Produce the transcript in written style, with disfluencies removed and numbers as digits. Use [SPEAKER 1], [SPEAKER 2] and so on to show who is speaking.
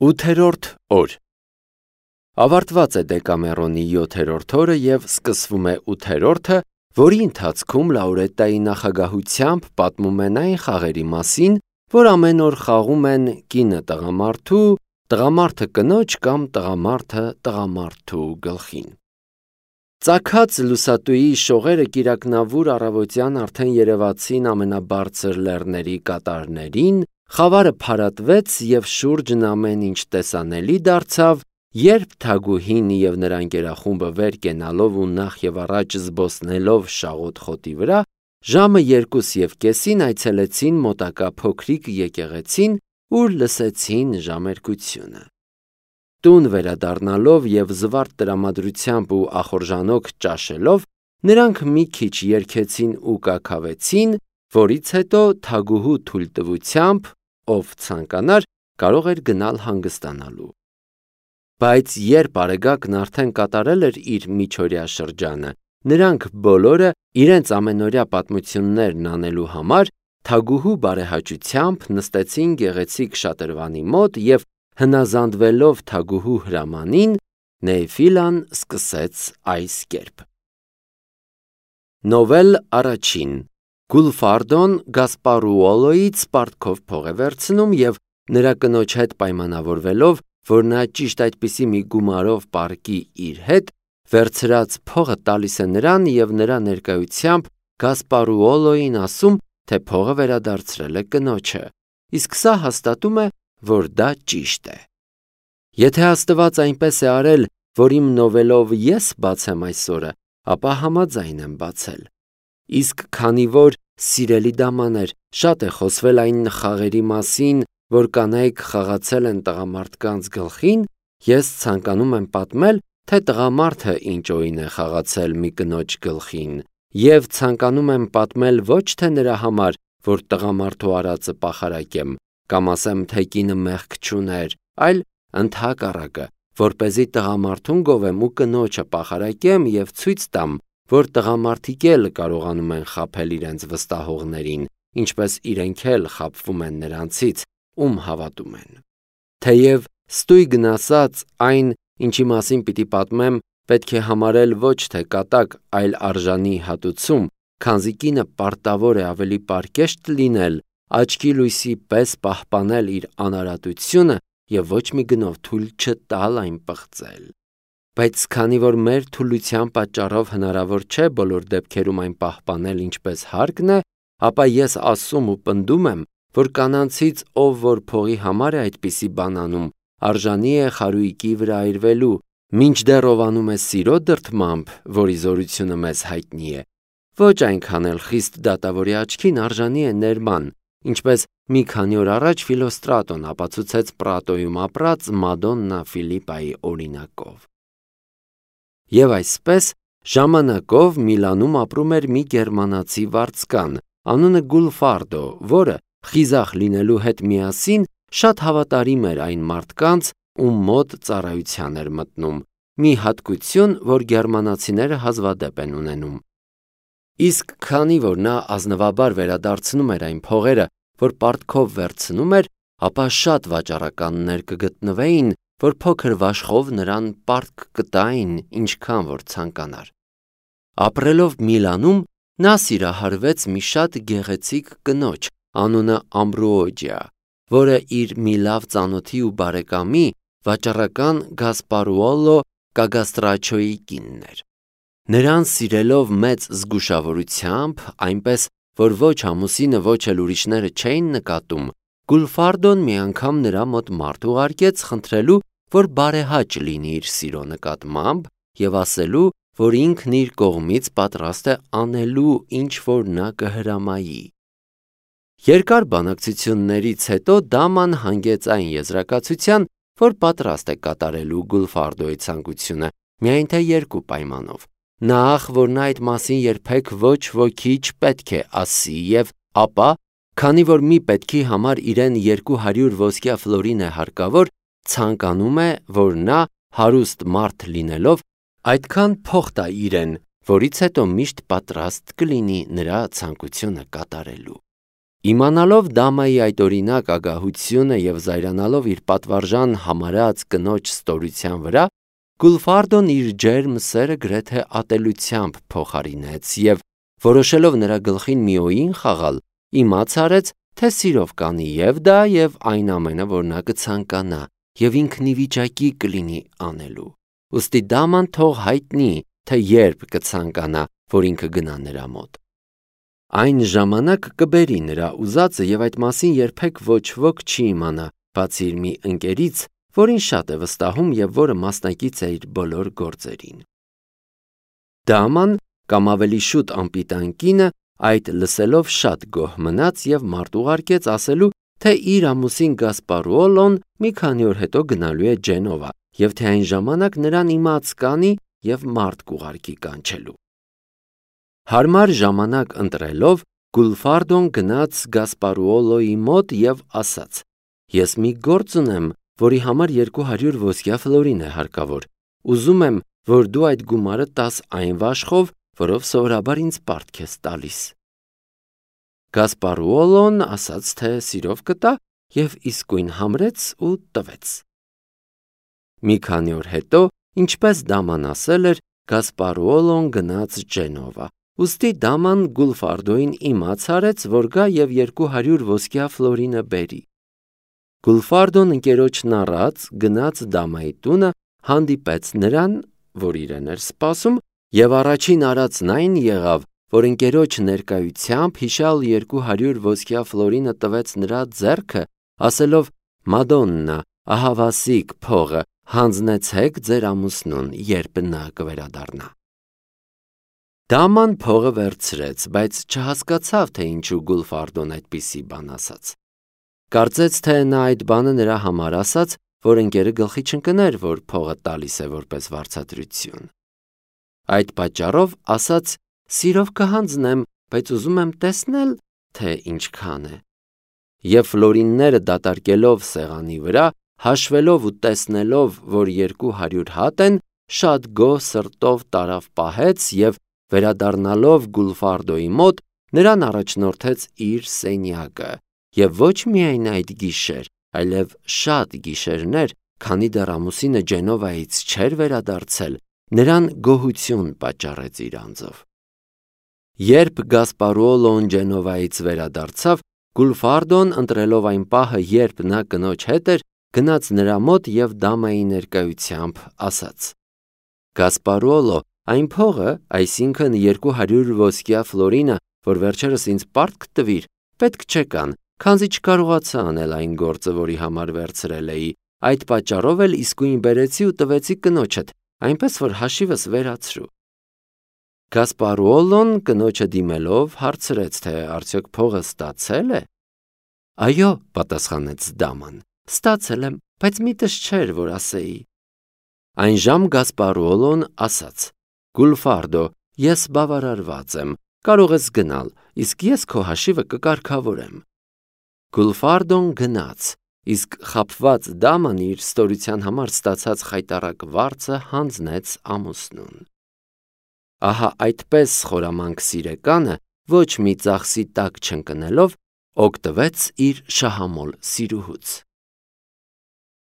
[SPEAKER 1] 8-րդ օր Ավարտված է Դեկամերոնի 7-րդ օրը և սկսվում է 8-րդը, որի ընթացքում Լաուրետտայի նախագահությամբ պատմում են այն խաղերի մասին, որ ամեն օր խաղում են կինը տղամարդու, տղամարդը կնոջ կամ տղամարդը տղամարդու գլխին։ Ծագած լուսատուի շողերը կիրակնավուր առավոտյան արդեն երևացին ամենաբարձր լեռների կատարներին, խավարը փարատվեց և շուրջն ամեն ինչ տեսանելի դարձավ, երբ Թագուհին և նրա ընկերախումբը վեր կենալով ու նախ և առաջ զբոսնելով շաղոտ խոտի վրա, ժամը 2:30 այցելեցին մոտակա փոքրիկ եկեղեցին, ուր լսեցին ժամերկությունը։ Տուն վերադառնալով և զվարթ տրամադրությամբ ու ախորժանոք ճաշելով, նրանք մի քիչ երգեցին ու կաքավեցին, որից հետո Թագուհու թույլտվությամբ, ով ցանկանար, կարող էր գնալ հանգստանալու։ Բայց երբ Արեգակն արդեն կատարել էր իր միջօրյա շրջանը, նրանք բոլորը իրենց ամենօրյա պատմություններն անելու համար Թագուհու բարեհաճությամբ նստեցին գեղեցիկ շատրվանի մոտ և հնազանդվելով Թագուհու հրամանին, Նեֆիլան սկսեց այս կերպ. Նովել առաջին Գուլֆարդոն Գասպարուոլոյից պարտքով փող է վերցնում և նրա կնոջ հետ պայմանավորվելով, որ նա ճիշտ այդպիսի մի գումարով պառկի իր հետ, վերցրած փողը տալիս է նրան և նրա ներկայությամբ Գասպարուոլոյին ասում, թե փողը վերադարձրել է կնոջը, իսկ սա հաստատում է, որ դա ճիշտ է։ Եթե Աստված այնպես է արել, որ իմ նովելով ես բացեմ այսօրը, ապա համաձայն եմ բացել։ Իսկ քանի որ, սիրելի դամաներ, շատ է խոսվել այն խաղերի մասին, որ կանայք խաղացել են տղամարդկանց գլխին, ես ցանկանում եմ պատմել, թե տղամարդը ինչ օին է խաղացել մի կնոջ գլխին, և ցանկանում եմ պատմել ոչ թե նրա համար, որ տղամարդու արածը պախարակեմ, կամ ասեմ, թե կինը մեղք չուներ, այլ ընդհակառակը, որպեսզի տղամարդուն գովեմ ու կնոջը պախարակեմ և ցույց տամ, որ տղամարդիկ էլ կարողանում են խաբել իրենց վստահողներին, ինչպես իրենք էլ խաբվում են նրանցից, ում հավատում են։ Թեև ստույգն ասած, այն, ինչի մասին պիտի պատմեմ, պետք է համարել ոչ թե կատակ, այլ արժանի հատուցում, քանզի կինը պարտավոր է ավելի պարկեշտ լինել, աչքի լույսի պես պահպանել իր անարատությունը և ոչ մի գնով թույլ չտալ այն պղծել։ Բայց քանի որ մեր թուլության պատճառով հնարավոր չէ բոլոր դեպքերում այն պահպանել ինչպես հարկն է, ապա ես ասում ու պնդում եմ, որ կանանցից ով որ փողի համար է այդպիսի բան անում, արժանի է խարույկի վրա այրվելու, մինչդեռ ով անում է սիրո դրդմամբ, որի զորությունը մեզ հայտնի է, ոչ այնքան էլ խիստ դատավորի աչքին արժանի է ներման, ինչպես մի քանի օր առաջ Ֆիլոստրատոն ապացուցեց Պրատոյում ապրած Մադոննա Ֆիլիպայի օրինակով։ Եվ այսպես, ժամանակով Միլանում ապրում էր մի գերմանացի վարձկան, անունը Գուլֆարդո, որը, խիզախ լինելու հետ միասին, շատ հավատարիմ էր այն մարդկանց, ում մոտ ծառայության էր մտնում, մի հատկություն, որ գերմանացիները հազվադեպ են ունենում։ Իսկ քանի որ նա ազնվաբար վերադարձնում էր այն փողերը, որ պարտքով վերցնում էր, ապա շատ վաճառականներ կգտնվեին, որ փոքր վաշխով նրան պարտք կտային, ինչքան որ ցանկանար։ Ապրելով Միլանում, նա սիրահարվեց մի շատ գեղեցիկ կնոջ, անունը Ամբրուոջիա, որը իր մի լավ ծանոթի ու բարեկամի, վաճառական Գասպարուոլո Կագաստրաչոյի կինն էր։ Նրան սիրելով մեծ զգուշավորությամբ, այնպես, որ ոչ ամուսինը, ոչ էլ ուրիշները չէին նկատում, Գուլֆարդոն մի անգամ նրա մոտ մարդ ուղարկեց խնդրելու, որ բարեհաճ լինի իր սիրո նկատմամբ և ասելու, որ ինքն իր կողմից պատրաստ է անելու, ինչ որ նա կհրամայի։ Երկար բանակցություններից հետո դաման հանգեց այն եզրակացության, որ պատրաստ է կատարելու Գուլֆարդոյի ցանկությունը, միայն թե երկու պայմանով։ Նախ, որ նա այդ մասին երբեք ոչ ոքի չպետք է ասի և ապա, քանի որ մի պետքի համար իրեն 200 ոսկյա ֆլորին է հարկավոր, ցանկանում է, որ նա, հարուստ մարդ լինելով, այդքան փող տա իրեն, որից հետո միշտ պատրաստ կլինի նրա ցանկությունը կատարելու։ Իմանալով Դամայի այդ օրինակ ագահությունը և զայրանալով իր պատվարժան համարած կնոջ ստորության վրա, Գուլֆարդոն իր ջերմ սերը գրեթե ատելությամբ փոխարինեց և, որոշելով նրա գլխին մի օին խաղալ, իմաց արեց, թե սիրով կանի և դա և այն ամենը, որ նա կցանկանա և ինքն ի վիճակի կլինի անելու։ Ուստի Դաման թող հայտնի, թե երբ կցանկանա, որ ինքը գնա նրա մոտ։ Այն ժամանակ կբերի նրա ուզածը և այդ մասին երբեք ոչ ոք չի իմանա, բացի իր մի ընկերից, որին շատ է վստահում և որը մասնակից է իր բոլոր գործերին։ Դաման, կամ ավելի շուտ անպիտան կինը, այդ լսելով շատ գոհ մնաց և մարդ ուղարկեց ասելու, թե իր ամուսին Գասպարուոլոն մի քանի օր հետո գնալու է Ջենովա և թե այն ժամանակ նրան իմաց կանի և մարդ կուղարկի կանչելու։ Հարմար ժամանակ ընտրելով, Գուլֆարդոն գնաց Գասպարուոլոյի մոտ և ասաց. «Ես մի գործ ունեմ, որի համար 200 ոսկյա ֆլորին է հարկավոր։ Ուզում եմ, որ դու այդ գումարը տաս այն վաշխով, որով սովորաբար ինձ պարտք ես տալիս»։ Գասպարուոլոն ասաց, թե սիրով կտա և իսկույն համրեց ու տվեց։ Մի քանի օր հետո, ինչպես Դաման ասել էր, Գասպարուոլոն գնաց Ջենովա, ուստի Դաման Գուլֆարդոյին իմաց արեց, որ գա և 200 ոսկյա ֆլորինը բերի։ Գուլֆարդոն ընկերոջն առած գնաց Դամայի տունը, հանդիպեց նրան, որ իրեն էր սպասում, և առաջին արածն այն եղավ, որ ընկերոջ ներկայությամբ հիշյալ 200 ոսկյա ֆլորինը տվեց նրա ձեռքը, ասելով. «Մադոննա, ահավասիկ փողը, հանձնեցեք ձեր ամուսնուն, երբ նա կվերադառնա»։ Դաման փողը վերցրեց, բայց չհասկացավ, թե ինչու Գուլֆարդոն այդպիսի բան ասաց։ Կարծեց, թե նա այդ բանը նրա համար ասաց, որ ընկերը գլխի չընկներ, որ փողը տալիս է որպես վարձատրություն։ Այդ պատճառով ասաց. «Սիրով կհանձնեմ, բայց ուզում եմ տեսնել, թե ինչքան է»։ Եվ ֆլորինները դատարկելով սեղանի վրա, հաշվելով ու տեսնելով, որ 200 հատ են, շատ գոհ սրտով տարավ պահեց և, վերադառնալով Գուլֆարդոյի մոտ, նրան առաջնորդեց իր սենյակը, և ոչ միայն այդ գիշեր, այլև շատ գիշերներ, քանի դեռ ամուսինը Ջենովայից չէր վերադարձել, նրան գոհություն պատճառեց իր անձով։ Երբ Գասպարուոլոն Ջենովայից վերադարձավ, Գուլֆարդոն, ընտրելով այն պահը, երբ նա կնոջ հետ էր, գնաց նրա մոտ և Դամայի ներկայությամբ ասաց. «Գասպարուոլո, այն փողը, այսինքն 200 ոսկյա ֆլորինը, որ վերջերս ինձ պարտք տվիր, պետք չեկան, քանզի չկարողացա անել այն գործը, որի համար վերցրել էի, այդ պատճառով էլ իսկույն բերեցի ու տվեցի կնոջդ, այնպես որ հաշիվս վերացրու»։ Գասպարուոլոն կնոջը դիմելով հարցրեց, թե արդյոք փողը ստացել է։ «Այո», պատասխանեց Դաման, «ստացել եմ, բայց միտս չէր, որ ասեի»։ Այն ժամ Գասպարուոլոն ասաց. «Գուլֆարդո, ես բավարարված եմ, կարող ես գնալ, իսկ ես քո հաշիվը կկարգավորեմ»։ Գուլֆարդոն գնաց, իսկ խաբված Դաման իր ստորության համար ստացած խայտառակ վարձը հանձնեց ամուսնուն։ Ահա այդպես խորամանկ սիրեկանը, ոչ մի ծախսի տակ չընկնելով, օգտվեց իր շահամոլ սիրուհուց։